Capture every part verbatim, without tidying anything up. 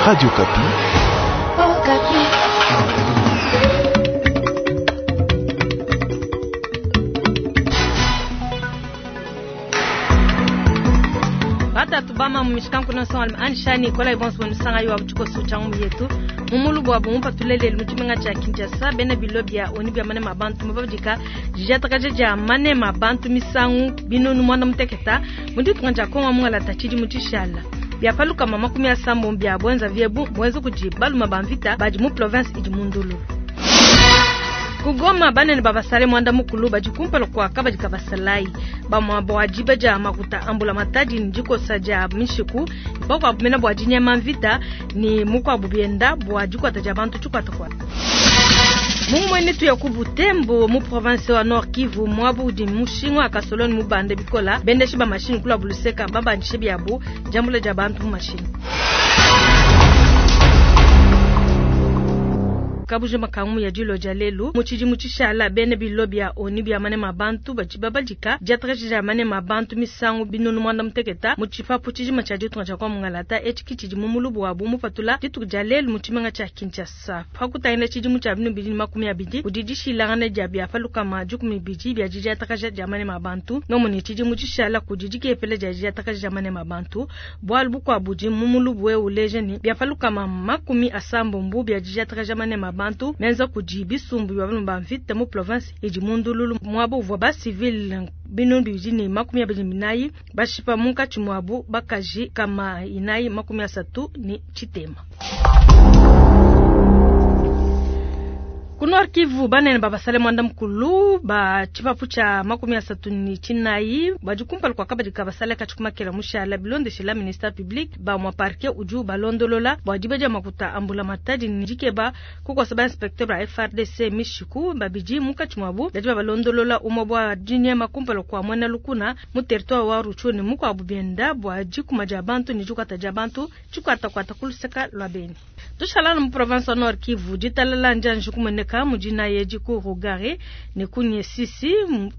Radio Okapi. Batatu bama mu mishikanku nonso anshani kola ibonso bonisanga yo abuchiko changu yetu mumulu bwa bumpa tulele mu tshimenga tsha Kinshasa bena bilo bya oni bya manema bantu mababdika jatakaje ja manema bantu misangu binonu mwana muteketa mundi tukanja konga mungala tachidi mutishala bya paluka mama kumi asambo bya bwenza vyebu bwenza kuji baluma bamvita baji mu province idi mundulu kugoma banene babasale mwanda mukulu bajikumpala kwa kabadi kabasalai bamwa bwajiba ja makuta ambula matadi njikosa ja mishiku bakwa bumena bwa jinyama mvita ni mukwa bubienda bwa jikwata ja bantu chikwata kwa mumwene tuya ku Butembo mu province wa Nord Kivu mwabu di mushingo akasoloni mubande bikola bendeshi ba machine kula buluseka babandishe byabo jambula ja bantu mu machine kabuje makangu ya dilo jalelu muchiji muchishala bene bilobia oni bya mane mabantu bachibabajika jatreje mane mabantu misangu binunu mwanda muteketa muchipapu chijima cha ditu cha kwa mungalata echikichiji mumulubu wa bumupatula ditu jalelu muchimenga cha Kinshasa pakutaina chijimu cha binu bili makumi abidi kudidishilangana ja bya paluka majuku mibiji bya jija takaja ja mane mabantu nomo ni chijimu chishala kudidike pele ja jija takaja ja mane mabantu bwalu bukwa buji mumulubu we uleje ni bya paluka makumi asambo mbu bya jija takaja mane mabantu bantu menza kujibi sumbu ya ba mvita mu province idi mundululu mwabo uvwa ba civil binu bibidi ni makumi abili minayi bashipa munkatshi mwabu bakaji kama inayi makumi asatu ni chitema. Kuno Kivu banene babasale mwanda mukulu ba chipapu cha makumi asatu ni chinayi bajikumpala kwa kabadi kabasale kachikumakela mushala bilondeshela minister public ba mwa parquet uju balondolola bwajibeja makuta ambula matadi njikeba kukosa ba inspecteur ba F R D C mishiku babiji mukachi mwabu dajiba balondolola umwe bwa jinyema kumpala kwa mwana lukuna mu territoire wa Ruchoni mukwa bubienda bwajikuma ja bantu ni jukata ja bantu chikwata kwata kuluseka lwa Beni. Tushala mu province Nord Kivu jitalala njanji kumeneka mujina yeji ku Rugari ni kunye sisi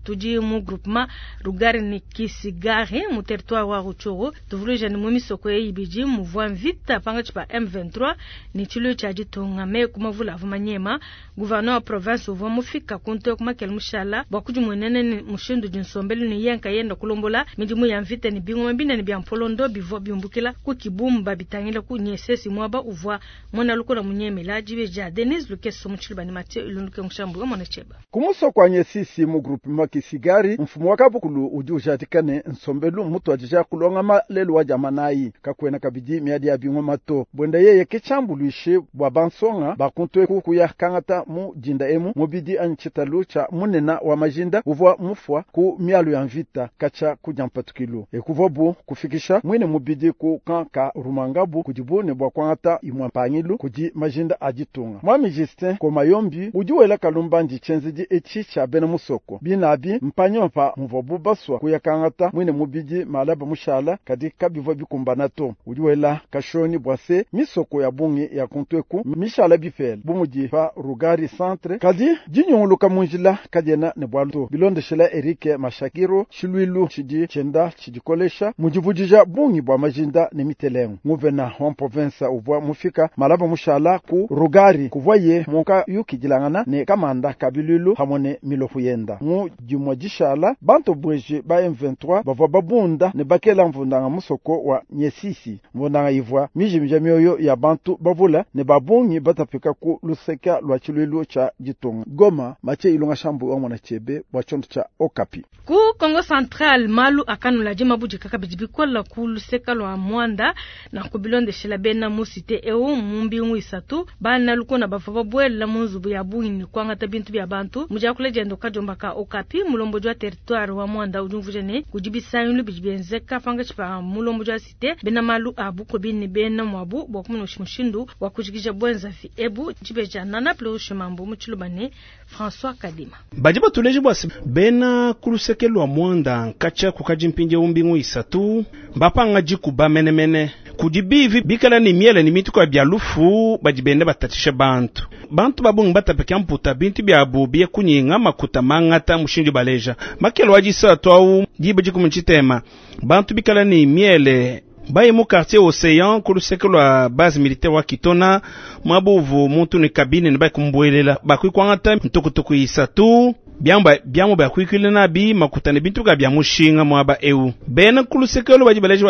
tuji mu groupement Rugari ni Kisigari mu territoire wa Rutshuru tuvuluja ni mumisoko ibiji muvwa mvita panga chipa M vingt-trois ni chilo cha jitonga me kumavula avumanyema gouverneur wa province uvwa mufika kunto kumakela mushala bwa kujumwenene ni mushindu jinsombelu ni yenka yenda kulombola midimu ya mvita ni bingoma binene bya mpolondo bivwa byumbukila ku kibumba bitangila ku nyesesi mwaba uvwa mwana lukola munyemela jibeja Denise Lukeso muchiluba ni Mathieu Ilunduke Mushambu wa Cheba. Kumuso kwa nyesisi mu groupement Kisigari mfumo wa kabukulu udi ujatikane nsombelu mutu ajija kulonga malelu wa jamanayi kakwena kabidi miadi ya bingoma mato bwenda yeye kechambuluishe bwa bansonga bakuntwe kuya kangata mu jinda emu mubidi anchitalu cha munena wa majinda uvwa mufwa ku mialu ya mvita kacha kujampatukilu ekuvwa bu kufikisha mwine mubidi ku kanka rumangabu kudibune bwa kwangata imwa mpangilu kudi majinda ajitunga mwami Justin Komayombi udiwela kalumbandi chenzidi echi cha bena musoko binabi mpanyompa mvubu baswa kuyakangata mwine mubidi malaba mushala kadi kabivwa bikumbana to udiwela kashoni bwase misoko ya bungi ya kuntweku mishala bifele bumudi pa Rugari centre kadi jinyunguluka munjila kadiena ne bwalu bilondeshela Eric Mashakiro chilwilu chidi chenda chidikolesha mujivujija bungi bwa majinda ne mitelengo nguvena wa province uvwa mufika malaba mushala ku Rugari kuvoye monka yukidilangana ne kamanda kabilulu hamone milofu yenda mu jimwa jishala bantu bweje ba M vingt-trois bavwa babunda ne bakela mvundanga musoko wa nyesisi mvundanga ivwa mijimija mioyo ya bantu bavula ne babungi batapika ku luseka lwa chilwilu cha jitunga Goma Mache Ilunga Shambu wa mwana chebe bwa chondo cha Okapi ku Kongo Central malu akanula jima bujika kabijibikola ku luseka lwa Mwanda na kubilondeshela bena musite eu mumbi ngwisatu bana lukona bavwa babwela munzubu ya buini kwangata bintu bya bantu mujakule jendo kajomba ka Okapi mulombo jwa territoire wa Mwanda ujumvujene kujibisayulu bijibenzeka panga chipa mulombo jwa cité bena malu abu kobini bena mwabu bwa kumno mushindu wa kujikija bwenza fi ebu jibeja nana plus mambo muchilubane François Kadima baji batuleje bwasi bena kuluseke lwa Mwanda nkacha kukajimpinje umbingu isatu mbapanga jikuba menemene kudibivi bikala ni miele ni mituko ya byalufu bajibende batatisha bantu bantu babungi batapeka mputa bintu byabu biye kunyinga makuta mangata mushindu baleja makelo wajisa twau jibe jikumunchitema bantu bikala ni miele Baye mu quartier Océan ku luseke lwa base militaire wa Kitona mwabuvu muntu ne kabine ne baye kumbwelela bakwikwa ntukutuku isatu byamba byamu bakwikile nabi makutane bintu ka bya mushinga mwaba eu bena ku luseke lo baji baleje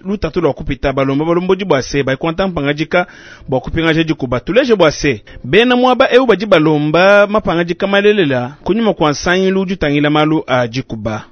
lutatu lwa kupita balomba balomboji bwase bayikwanta mpangajika bwa kupingaja dikuba tuleje bwase bena mwaba eu baji balomba mapangajika malelela kunyuma kwa nsanyilu jutangila malu a dikuba.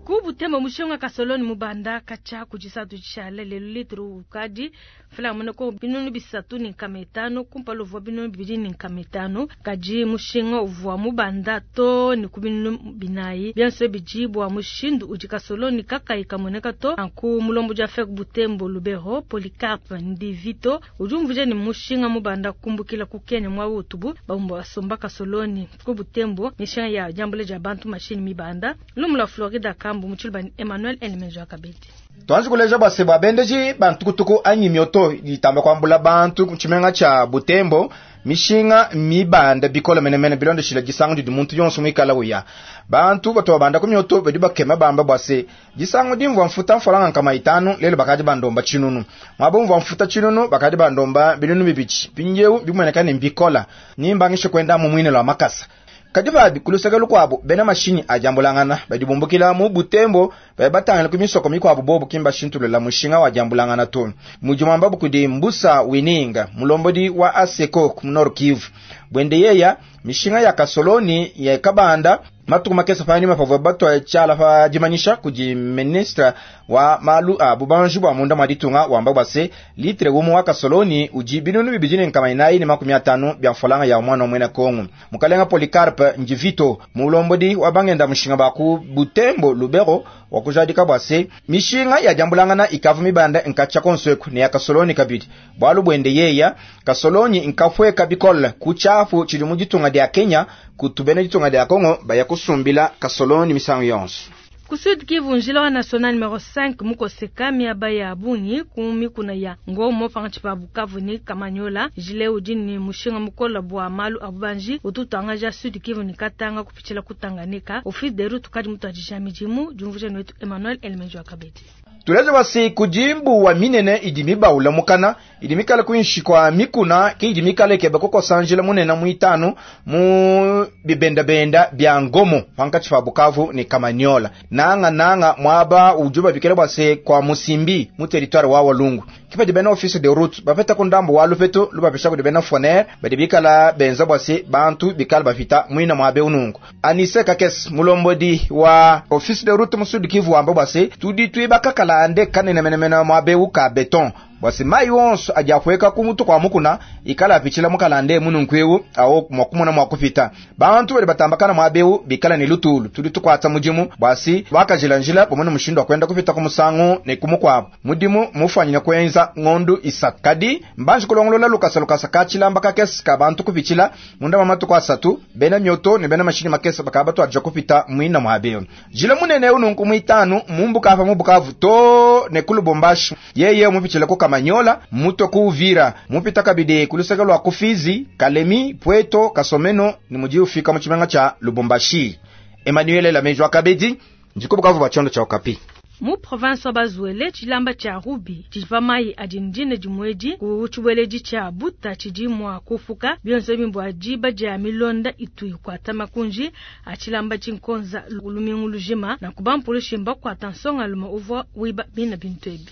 Kubutembo mushinga kasoloni mubanda kacha kujisatu chala lelo litro ukadi fela muneko binunu bisatu ni kametano kumpa lovwa binunu bibili ni kametano kaji mushinga uvwa mubanda to ni kubinu binayi bianso bijibwa mushindu uji kasoloni kaka ikamoneka to anku mulombo ja fek Butembo Lubero Polycarpe Ndivito ujumvuje ni mushinga mubanda kumbukila kukenya mwa utubu babumba basomba kasoloni kubutembo mishinga ya jambole ja bantu mashini mibanda lumula Florida kambu muchilba Emmanuel Elmenjo akabedi. Tuanze kuleja base babendeji bantukutuku anyi mioto itamba kwambula bantu kuchimenga cha Butembo mishinga mibanda bikola menemene bilonde shila gisango di muntu yonso mwikala uya bantu bato babanda kumyoto bedi bakema bamba bwase gisango dimvwa mfuta mfolanga kama itanu lelo bakaji bandomba chinunu mwabo mvwa mfuta chinunu bakaji bandomba binunu bibichi pinjeu bimweneka ne mbikola nimbangishe kwenda mu mwine lwa makasa kadi babi kulusaka lukwabo bena mashini ajambulangana badibumbukila mu Butembo babatangila kumisoko mikwabo bobo kimba shintulela mushinga wa jambulangana to mujumamba bukudi Mbusa Wininga mulombodi wa Aseko ku Nord Kivu bwende yeya mishinga ya kasoloni ya kabanda matuku makesa fani mapavwa bato chala fa jimanyisha kuji ministra wa malu a bubanju bwa munda mwaditunga wamba bwase litre wumu wa kasoloni uji binunu bibijini nkama inayi ni makumi atano bya mfolanga ya mwana mwena Kongo mukalenga Polycarpe Njivito mulombodi wa bangenda mushinga baku Butembo Lubero wakujadika bwase mishinga ya jambulangana ikavu mibanda nkacha konsweku ne ya kasoloni kabidi bwalu bwende yeya kasoloni nkafweka bikola kuchafu chili mujitunga dia Kenya kutubene jitunga dia Kongo baya kusumbila kasoloni misango yonso. Ku Sud Kivu njila wa national numero cinq mukoseka miaba ya bungi kumi kuna ya ngomo panchi pa Bukavu ni Kamanyola jile udi ni mushinga mukola bwa malu abubanji ututanga Sud Kivu ni Katanga kupichila kutanganika office de route kadi mutajisha mijimu jumvuje wetu Emmanuel Elmenjo akabeti. Tuleze wasi kujimbu wa minene idimiba ulamukana idimikala kuinshi kwa mikuna ki idimikala ikebe koko sanjila munene muitano mu bibenda benda bya ngomo pankachi pa Bukavu ni Kamanyola nanga nanga mwaba ujuba bikele bwase kwa Musimbi mu territoire wa Walungu kipa de bena office de route bapeta kundambo wa lupeto lubapesha ku bena foner badibikala benza bwase bantu bikala bafita mwina mwabe unungu anise kakes mulombodi wa office de route musudi Kivu amba bwase tudi tuibaka kala ande kanene menemene mwabe uka beton bwase mai wonso ajakweka kumutu kwa mukuna ikala apichila mukalande mununkwewu awo mwakumona mwakupita bantu bali batambakana mwabewu bikala ni lutulu tudi tukwata mudimu bwasi bakajilanjila pomwe mushindo akwenda kupita kumusangu ne kumukwabo mudimu mufanyina kwenza ngondu isatu kadi mbanji kulongolola lukasa lukasa kachilamba kakesi ka bantu kupichila munda mamatu asatu bena myoto ne bena mashini makesa bakaba twaja kupita mwina mwabewu jila munene ununku mwitanu mumbuka apa mubukavu to ne kulubombashi yeye mupichila kukama Manyola muto kuuvira mupita kabide kulusaka lwa kufizi Kalemi Pweto Kasomeno ni muji ufika mu cha Lubumbashi. Emmanuel Lamejwa Kabedi njiko Bukavu bachondo cha Okapi. Mu province wa Bazuele chilamba cha Rubi chipa mai adindine jimweji ku chibweleji cha Buta chijimwa kufuka bionso bimbwa jiba ja milonda itu kwata makunji achilamba chinkonza lumingu lujima na kubampulu shimba kwa tansonga luma uvwa wiba bina bintu ebi.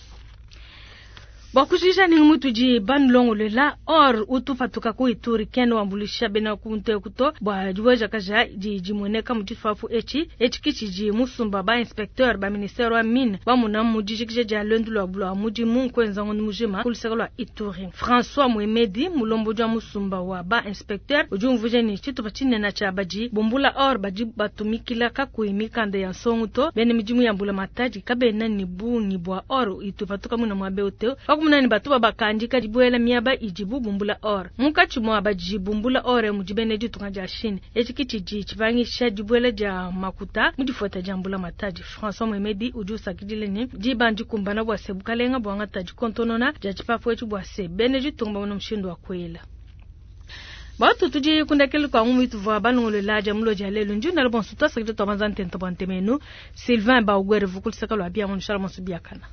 Bakujisha ni mutu ji banlongolela or utupatuka ku Ituri kendo wambulisha bena kunte kuto bwa juweja kaja ji jimoneka mutifafu echi echi kichi ji musumba ba inspecteur ba ministère wa mine ba muna mujijikije ja lendu lwa bulwa muji munkwenza ngondi mujima kulisaka lwa Ituri François Mwemedi mulombo jwa musumba wa ba inspecteur ujumvuje ni chitupa chinena cha baji bumbula or baji batumikila kakuimikanda ya nsongo bene mijimu ya mbula mataji kabena ni bungi bwa or itupatuka muna mwabe uteo nani batu bakandika dibuela miaba ijibu bumbula or mukachi mwa bajibumbula or mujibene ditunga ja shini echi kichiji chibangisha dibuela ja makuta mudifuata jambula mataji François Mwemedi ujusa kidile ni jibandi kumbana bwa sebukalenga bwanga taji kontonona ja chipafu echi bwa sebene ditunga bwana mshindo wa kwela. Batu tudi kundekele kwa ngumu ituvua balongolola dia mulo dia lelu ndi nalo bonso twasakidila twabanza ntenta bwa ntemenu Sylvain Baugwere vukulisaka lwa bia munshala monso biakana.